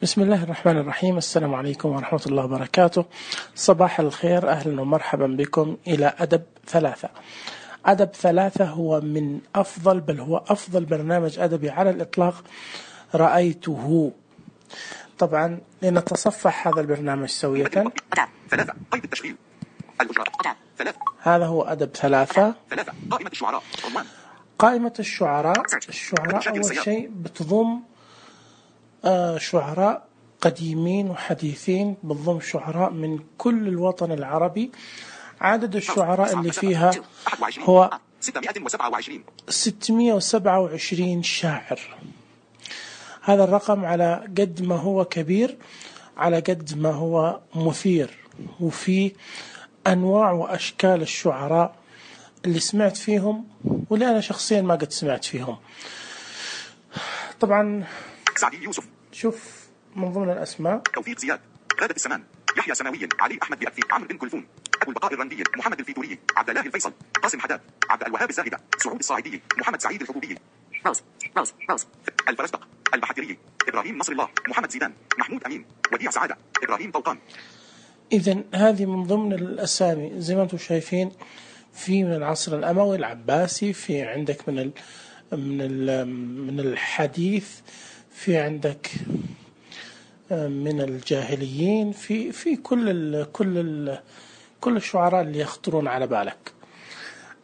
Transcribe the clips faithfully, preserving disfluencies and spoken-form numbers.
بسم الله الرحمن الرحيم. السلام عليكم ورحمة الله وبركاته. صباح الخير، أهلا ومرحبا بكم إلى أدب ثلاثة. أدب ثلاثة هو من أفضل بل هو أفضل برنامج أدبي على الإطلاق رأيته. طبعا لنتصفح هذا البرنامج سوية. هذا هو أدب ثلاثة. قائمة الشعراء. قائمة الشعراء. الشعراء أول شيء بتضم آه شعراء قديمين وحديثين، بتضم شعراء من كل الوطن العربي. عدد الشعراء اللي فيها هو ستمائة وسبعة وعشرين شاعر. هذا الرقم على قد ما هو كبير على قد ما هو مثير، وفي أنواع وأشكال الشعراء اللي سمعت فيهم واللي أنا شخصيا ما قد سمعت فيهم. طبعا سعدي يوسف، شوف من ضمن الأسماء: توفيق زياد، غادة السمان، يحيى سماوي، علي أحمد بأكفي، عمرو بن كلثوم، أبو البقاء الرندي، محمد الفيتوري، عبد الله الفيصل، قاسم حداد، عبد الوهاب الزاهدة، سعود الصاعدي، محمد سعيد الحبوبي، روز روز روز الفرزدق، البحتري، إبراهيم نصر الله، محمد زيدان، محمود أمين، وديع سعادة، إبراهيم طوقان. إذن هذه من ضمن الأسامي زي ما أنتم شايفين. في من العصر الأموي العباسي، في عندك من ال من ال من الحديث، في عندك من الجاهليين، في في كل ال كل ال كل الشعراء اللي يخطرون على بالك.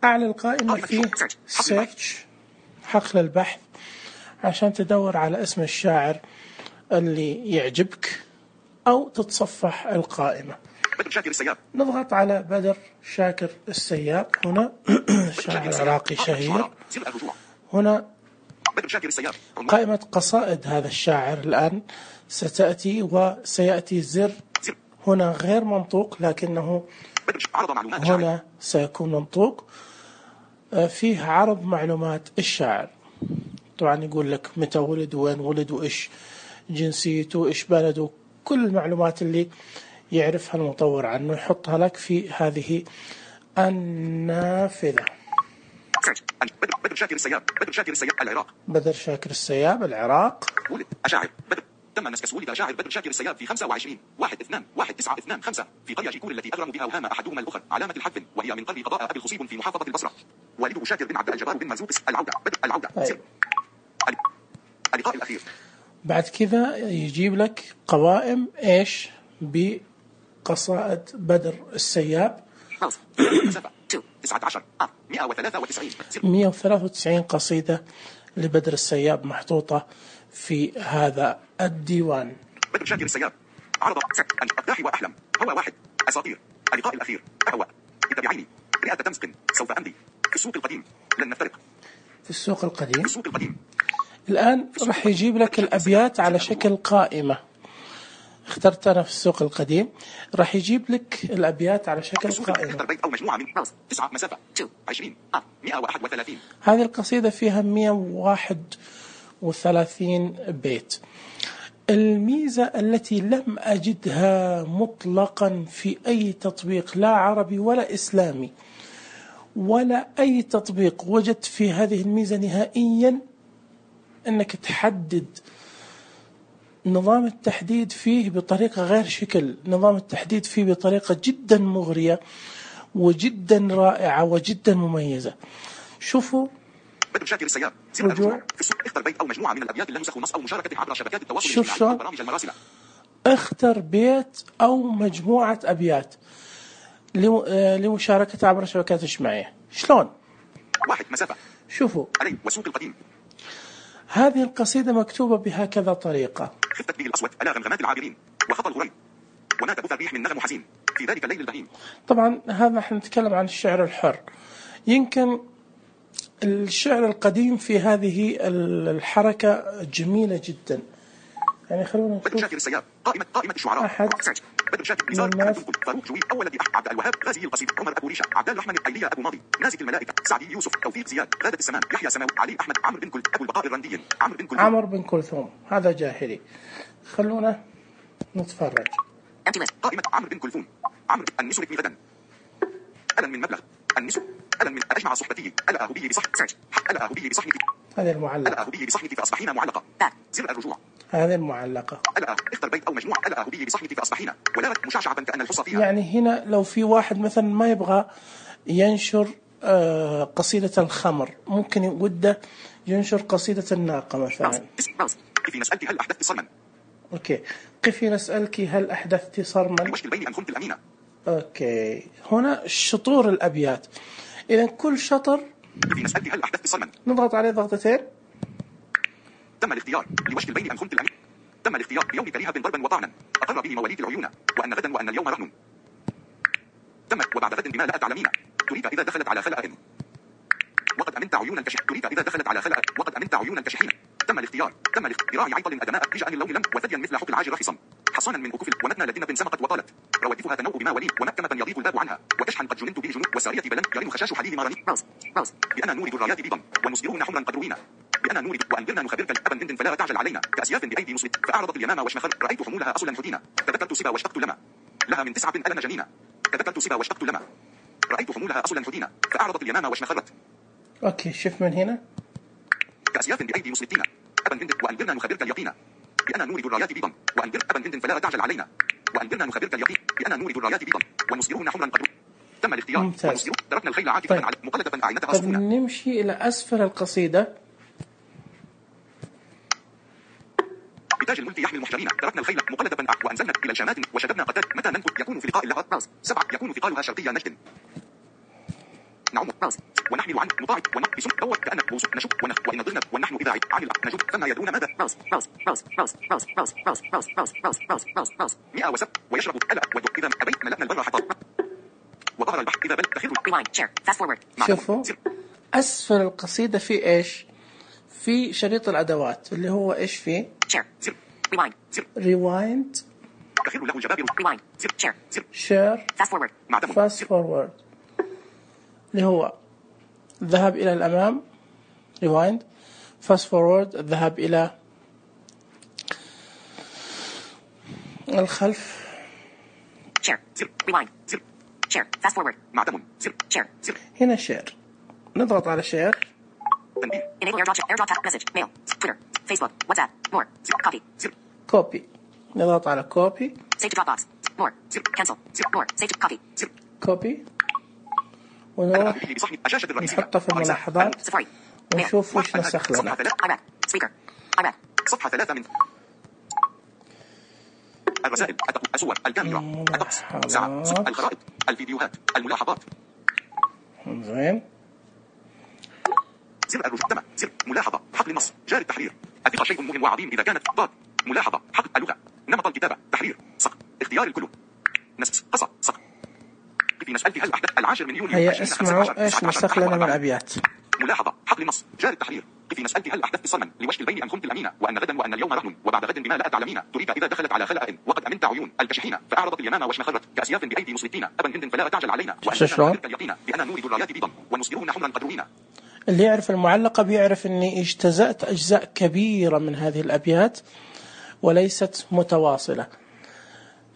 أعلى القائمة فيه سيرش، حقل البحث، عشان تدور على اسم الشاعر اللي يعجبك أو تتصفح القائمة. بدر شاكر السياب. نضغط على بدر شاكر السياب هنا. شاعر عراقي شهير. هنا بدر شاكر السياب. قائمة قصائد هذا الشاعر الآن ستأتي، وسيأتي زر هنا غير منطوق لكنه هنا سيكون منطوق. فيه عرض معلومات الشاعر. طبعا يقول لك متى ولد، وين ولد، وإيش جنسيته، إيش بلده، كل المعلومات اللي يعرفها المطور عنه يحطها لك في هذه النافذة. بدر شاكر السياب. بدر شاكر السياب العراق. بدر شاكر السياب العراق. ولد أشاعر بدر تم نسكس. ولد شاعر بدر شاكر السياب في خمسة وعشرين واحد اثنان واحد تسعة اثنان خمسة في قرية جيكور التي أغرم بها وهام أحدهما الأخر علامة الحذف، وهي من قرية قضاء أبي الخصيب في محافظة البصرة. والده شاكر بن عبد الجبار بن مرزوق العودة. بدر العودة. طيب. اللقاء الأخير. بعد كذا يجيب لك قوائم إيش بقصائد بدر السياب. تسعة عشر مئة وثلاثة وتسعين مئة وثلاثة وتسعين قصيدة لبدر السياب محطوطة في هذا الديوان. بدر شاكر السياب. عرض الأقداح وأحلم، هو واحد، أساطير، اللقاء الأخير، أهواء، اتبعيني، رئة تمسك، سوف أمضي، في السوق القديم، لن نفترق. في السوق القديم. في السوق القديم. الآن راح يجيب لك الأبيات على شكل قائمة. اخترت أنا في السوق القديم، راح يجيب لك الأبيات على شكل قائمة. بيت أو مجموعة من تسعة مسافة عشرين مئة وواحد وثلاثين. هذه القصيدة فيها مئة وواحد وثلاثين بيت. الميزة التي لم أجدها مطلقا في أي تطبيق، لا عربي ولا إسلامي ولا أي تطبيق وجدت في هذه الميزة نهائيا، أنك تحدد نظام التحديد فيه بطريقة غير شكل. نظام التحديد فيه بطريقة جدا مغرية وجدا رائعة وجدا مميزة. شوفوا بدر شاكر السياب. رجوع. اختر بيت أو مجموعة من الأبيات لا ينسخ نص أو مشاركة عبر شبكات التواصل شوف الاجتماعي شو وبرامج المراسلة. اختر بيت أو مجموعة أبيات لمشاركة عبر شبكات اجتماعية. شلون؟ واحد مسافة. شوفوا علي وسوق القديم. هذه القصيدة مكتوبة بهكذا طريقة: خفت به الأصوات على غمغمات العابرين وخطى الغريب ومات بث الريح من نغم حزين في ذلك الليل البهيم. طبعا هذا نحن نتكلم عن الشعر الحر. يمكن الشعر القديم في هذه الحركة جميلة جدا. يعني خلونا نشوف. بدر شاكر السياب. قائمة قائمة الشعراء. أحد بدر شاكر نزار فاروق جوي أول ذي عبد الوهاب غازي القصيد عمر أبو ريشة عبد الرحمن الأيلية أبو ماضي نازك الملائكة سعدي يوسف توفيق زياد غادة السمان يحيى سماوي علي أحمد عمرو بن كل أبو البقاء الرندي عمرو بن كلثوم. عمرو بن كلثوم هذا جاهلي. خلونا نتفرج. قائمة عمرو بن كلثوم. عمرو النسر بن غدا ألن من مبلغ النسر ألن من أجمع صحبتي ألا أهو به بصحن ألا أهو به بصحنك هذا المعلق ألا أهو به بصحنك فأصبحين معلقة زر الرجوع. هذه المعلقة. ألا اختر بيت أو مجموعة. ألا هبي بصحنك فأصبحين ولارت مشعشعة كأن الحصى فيها. يعني هنا لو في واحد مثلا ما يبغى ينشر آه قصيدة الخمر، ممكن وده ينشر قصيدة الناقة مثلا. قفي نسألك هل أحدثت صرما. أوكي، قفي نسألك هل أحدثت صرما. لوشك البين أم خنت الأمينة. أوكي، هنا شطور الأبيات. إذا كل شطر قفي نسألك هل أحدثت صرما نضغط عليه ضغطتين. تم الاختيار. لوشك البين أم خنت الأمينة. تم الاختيار بيوم كريهة ضربا وطعنا أقر به مواليد العيون وأن غدا وأن اليوم رهن. تم وبعد غد بما لا تعلمين تريد إذا دخلت على خلأ وقد أمنت عيون الكشح. تريد إذا دخلت على خلأ وقد أمنت عيون الكشحين. تم الاختيار. تم الاختيار عيطل أدماء رجاء اللون لم وثديا مثل حق العاج رخصا حصانا من أكف ومتنا لدنة سمقت وطالت روادفها تنوء بما ولي ومكمة يضيق الباب عنها وكشحا قد جننت به جنوب وسارية بلن يرن خشاش حليل مرني راس راس بأنا نورد الرايات بيضا ونصدرون حمرا قد روينا بأنا نورد وأنذرنا نخبرك أبا هند فلا تعجل علينا كأسياف بأيدي مسلم فأعرضت اليمامة وشمخر رأيت حمولها أصلا حدينا تذكرت سبا واشتقت لما لها من تسعة ألم جنينا تذكرت سبا واشتقت لما رأيت حمولها أصلا حدينا فأعرضت اليمامة وشمخرت. أوكي، شوف من هنا. كأسياف بأيدي مسلمين أبا هند وأنذرنا نخبرك اليقين بأنا نورد الرايات بيضا وأنذر أبا هند فلا تعجل علينا وأنذرنا نخبرك اليقين بأنا نورد الرايات بيضا ونصدرون حمرا قد تم الاختيار. ممتاز. تركنا الخيل عاكفة طيب. على مقلدة أعينتها طب صفونا. نمشي إلى أسفل القصيدة. بتاج الملك يحمي المحجرين تركنا الخيل مقلدة وأنزلنا إلى الشامات وشددنا قتال متى ننفذ يكون في لقاء اللهات راس سبعة يكون ثقالها شرقية نجد نعم راس ونحمل عن مطاعد ونقص دور كأن بوس نشب ونخ وإن ضغنا ونحن إذا عن الأرض نجب فما يدرون ماذا راس راس راس راس راس راس راس راس راس راس راس راس راس مئة وسب ويشرب ألا ودق إذا أبيت ملأنا البر حطب وظهر البحر إذا بل تخر rewind share fast forward. شوفوا أسفل القصيدة في إيش؟ في شريط الأدوات اللي هو إيش فيه؟ share rewind rewind تخر له الجبابر rewind share share fast forward fast forward اللي هو الذهاب إلى الأمام rewind fast forward الذهاب إلى الخلف share rewind share fast forward معدم share هنا share نضغط على share تنبيه enable airdrop airdrop message mail twitter facebook whatsapp more copy copy نضغط على copy save to dropbox more cancel more save to copy copy ونروح نحطه في الملاحظات ونشوف وش نسخ لنا. صفحة ثلاثة من الرسائل الصور الكاميرا الطقس ساعة الخرائط الفيديوهات الملاحظات. زين. زر الرجوع تم زر ملاحظة حقل النص جاري التحرير الثقة شيء مهم وعظيم إذا كانت ضاد ملاحظة حقل اللغة نمط الكتابة تحرير صق اختيار الكلو نسخ قصة صق في مسألة هل أحدث العاشر من يوليو هيا اسمعوا إيش نسخ لنا من أبيات. ملاحظة حقل النص جاري التحرير في مسألة هل أحدثت صرما لوشك البين أم خنت الأمينة وأن غدا وأن اليوم رهن وبعد غد بما لا تعلمين تريد إذا دخلت على خلأ وقد أمنت عيون الكشحين فأعرضت اليمامة وشمخرت كأسياف بأيدي مسلطين أبا هند فلا تعجل علينا وأننا اليقين بأننا نورد الرايات بيضا ونصدرون حمرا قد روينا. اللي يعرف المعلقة بيعرف أني اجتزأت أجزاء كبيرة من هذه الأبيات وليست متواصلة،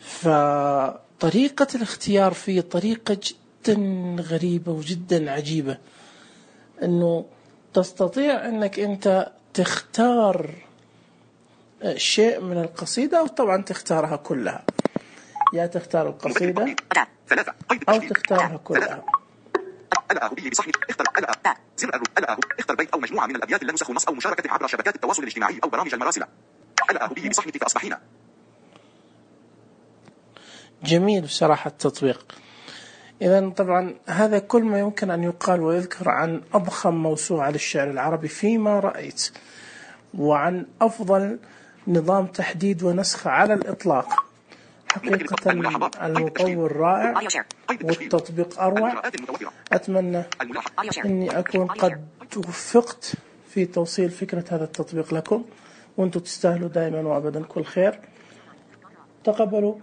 فطريقة الاختيار فيه طريقة جدا غريبة وجدا عجيبة، أنه تستطيع أنك أنت تختار شيء من القصيدة وطبعا تختارها كلها، يا تختار القصيدة أو تختارها كلها. ألا هبي بصحنك اختر ألا زر ألا اختر بيت أو مجموعة من الأبيات اللي نسخ النص أو مشاركة عبر شبكات التواصل الاجتماعي أو برامج المراسلة. ألا هبي بصحنك فأصبحين. جميل بصراحة التطبيق. إذا طبعا هذا كل ما يمكن أن يقال ويذكر عن أضخم موسوعة للشعر العربي فيما رأيت، وعن أفضل نظام تحديد ونسخ على الإطلاق. حقيقة المطور رائع والتطبيق أروع. أتمنى أني أكون قد وفقت في توصيل فكرة هذا التطبيق لكم، وأنتم تستاهلوا دائما وأبدا كل خير. تقبلوا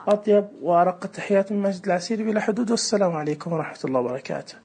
أطيب وأرق التحيات من ماجد العسيري بلا حدود، والسلام عليكم ورحمة الله وبركاته.